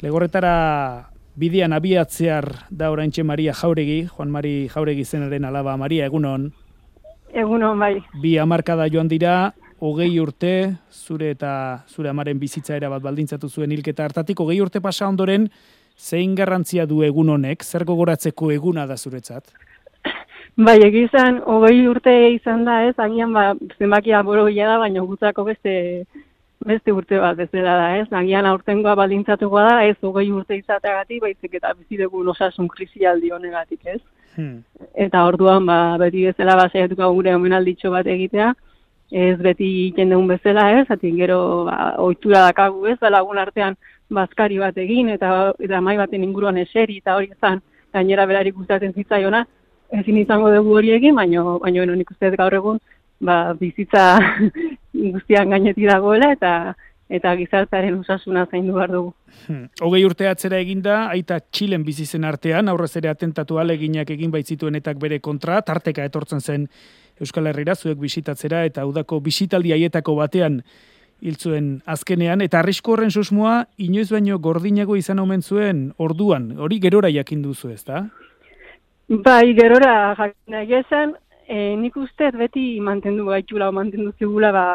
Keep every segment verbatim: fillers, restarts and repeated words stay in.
Legorretara bidean abiatzear da oraintxe Maria Jauregi, Juan Mari Jauregi zenaren alaba. Maria, egunon? Egunon, bai. Bi hamarkada joan dira, hogei urte, zure eta zure amaren bizitza erabat baldintzatu zuen hilketa hartatik, hogei urte pasa ondoren, zein garrantzia du egun honek, zer gogoratzeko eguna da zuretzat? Bai, egizan, hogei urte izan da ez, agian ba, zenbakia borogia da, baina gutzako beste, beste urte bat bezala da ez, agian aurtengoa baldintzatuko da, ez hogei urte izateagatik, baizik eta bizidegun osasun krisialdi honegatik ez. Hmm. Eta orduan, ba, beti bezala basaiatuko gure omenalditxo bat egitea, ez beti egiten dugun bezala ez, atin gero ba, ohitura dakagu ez, ba, lagun artean bazkari bat egin, eta, eta mai baten inguruan eseri, eta hori ezan gainera berarik gustatzen zitzaiona, ezin izango dugu hori egin, baina baino, nik uste gaur egun ba, bizitza guztian gainetik dagoela, eta eta gizartearen osasuna zaindu behar dugu. Hmm. Hogei urte atzera eginda, aita Txilen bizi zen artean, aurrez ere atentatu aleginak egin baitzituenetak bere kontra, tarteka etortzen zen Euskal Herrira, zuek bisitatzera, eta udako bisitaldi haietako batean hil zuen azkenean, eta arrisku horren susmoa, inoiz baino gordinago izan omen zuen orduan, hori gerora jakin duzu ez da? Bai, gerora jakin nahi esan, e, nik uste beti mantendu gaitxula, mantendu zigula, ba,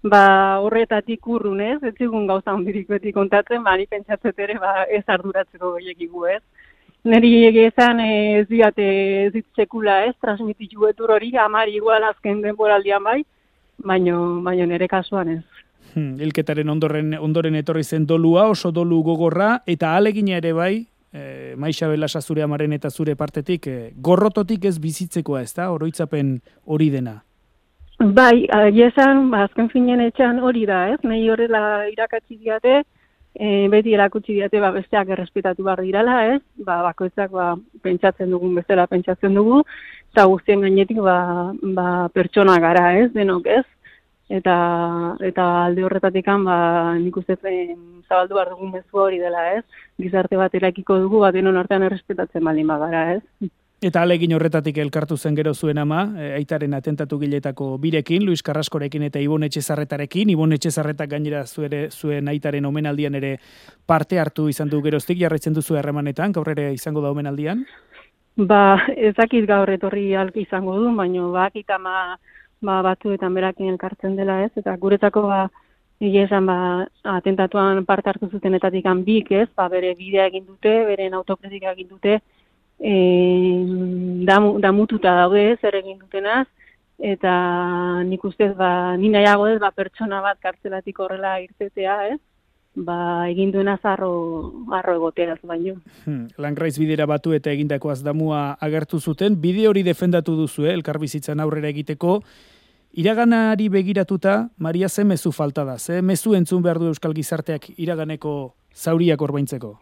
ba horretatik urrun ez, ez zigun gauza ondirik beti kontatzen, ba, ni pentsatzet ere ba, ez arduratzeko gehiagigu ez. Neri egizan ez diate ez ditzekula ez, transmititu etur hori, amari igual azken denboraldian bai, baino, baino nere kasuan ez. Hmm, hilketaren ondoren, ondoren etorri zen dolua, oso dolu gogorra, eta alegina ere bai, e, Maixa Belasa zure amaren eta zure partetik, e, gorrototik ez bizitzekoa ez da, oroitzapen hori dena. Bai, esan, azken finen etxan hori da ez, nahi horrela irakatzi diate, E, beti erakutsi diate ba, besteak errespetatu behar dirala, ez? Ba, bakoitzak ba, pentsatzen dugun bezala pentsatzen dugu, eta guztien gainetik ba, ba, pertsona gara, ez? Denok, ez? Eta, eta alde horretatikan ba, nik uste zabaldu behar dugun mezu hori dela, ez? Gizarte bat erakiko dugu, bat denon artean errespetatzen baldin bagara, ez? Eta alegin horretatik elkartu zen gero zuen ama, aitaren atentatu giletako birekin, Luis Carraskorekin eta Ibon Etxezarretarekin. Ibon Etxezarretak gainera zuere, zuen aitaren omenaldian ere parte hartu izan du geroztik, jarraitzen duzu harremanetan, gaur ere izango da omenaldian? Ba, ezakit gaur etorri alki izango du, baina bakit ama ba, batzuetan berakin elkartzen dela ez, eta guretako ba, esan ba, atentatuan parte hartu zutenetatik bik ez, ba, bere bidea egin dute, beren autokritika egin dute, E, damu, damututa daude zer egin dutenaz, eta nik ustez ba, ni nahiago ez ba, pertsona bat kartzelatik horrela irtetea, ez? Ba, egin duena zarro, arro egoteaz baino. Hmm, Langraiz bidera batu eta egindakoaz damua agertu zuten, bide hori defendatu duzu, eh? Elkarbizitzan aurrera egiteko, iraganari begiratuta, Maria, ze mezu falta da, ze mezu entzun behar du euskal gizarteak iraganeko zauriak orbaintzeko?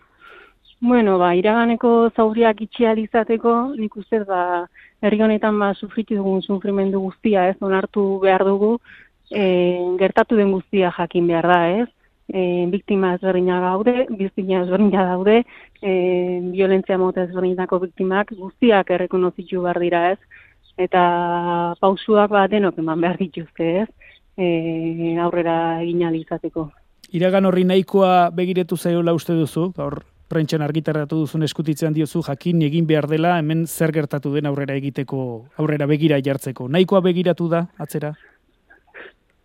Bueno, ba, iraganeko zauriak itxial izateko, nik uste, ba, herri honetan ba, sufritu dugun sufrimendu guztia, ez, onartu behar dugu, e, gertatu den guztia jakin behar da, ez, e, biktima ezberdina gaude, biktima ezberdina daude, e, violentzia mota ezberdinako biktimak guztiak errekonozitu behar dira, ez, eta pausuak ba, denok eman behar dituzte, ez, e, aurrera egin ahal izateko. Iragan horri nahikoa begiretu zaiola uste duzu, gaur prentxan argitaratu duzun eskutitzean diozu jakin egin behar dela, hemen zer gertatu den aurrera egiteko, aurrera begira jartzeko. Nahikoa begiratu da, atzera?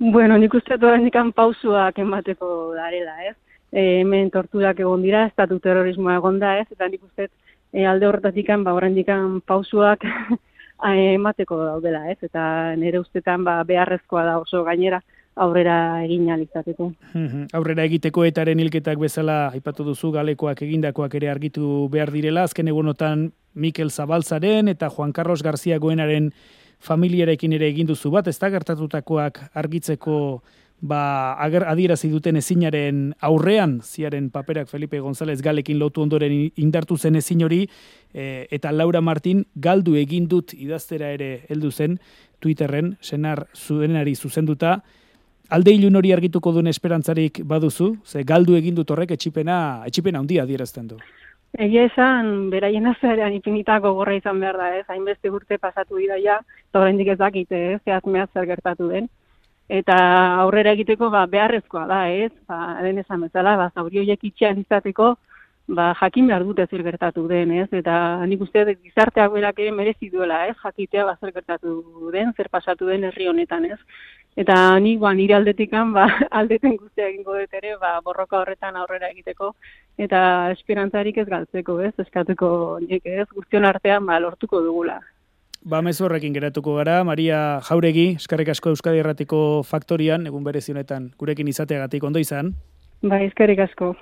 Bueno, nik uste oraindikan pausuak emateko darela, ez? E, hemen torturak egon dira, estatu terrorismoa egon da, ez? Eta nik uste e, alde horretatikan, ba, oraindikan pausuak emateko daudela, ez? Eta nire ustetan ba, beharrezkoa da oso gainera, aurrera egin alizateko. Aurrera egiteko etaren hilketak bezala aipatu duzu galekoak egindakoak ere argitu behar direla. Azken egunotan Mikel Zabaltzaren eta Juan Carlos García Goenaren familiarekin ere egin duzu bat, ez da gertatutakoak argitzeko ba, ager, adierazi duten ezinaren aurrean, ziaren paperak Felipe González Galekin lotu ondoren indartu zen ezin hori, e, eta Laura Martin galdu egin dut idaztera ere heldu zen Twitterren, senar zuenari zuzenduta. Alde ilun hori argituko duen esperantzarik baduzu? Ze galdu egin dut horrek etxipena, etxipena handia adierazten du. Egia esan, beraien azerean infinitako gorra izan behar da, ez? Hainbeste urte pasatu dira ja, eta oraindik ez dakite, ez? Zehaz mehaz zer gertatu den. Eta aurrera egiteko ba, beharrezkoa da, ez? Ba, den esan bezala, ba, zauri horiek itxean izateko, ba, jakin behar dute zer gertatu den, ez? Eta nik uste dut gizarteak berak ere merezi duela, ez? Jakitea ba, zer gertatu den, zer pasatu den herri honetan, ez? Eta nik ba, nire aldetikan ba, aldeten guztia egingo dut ere ba, borroka horretan aurrera egiteko eta esperantzarik ez galtzeko, ez? Eskatuko nik ez, guztion artean ba, lortuko dugula. Ba, mezu horrekin geratuko gara. Maria Jauregi, eskerrik asko Euskadi Irratiko Faktorian, egun berezi honetan gurekin izateagatik ondo izan. Ba, eskerrik asko.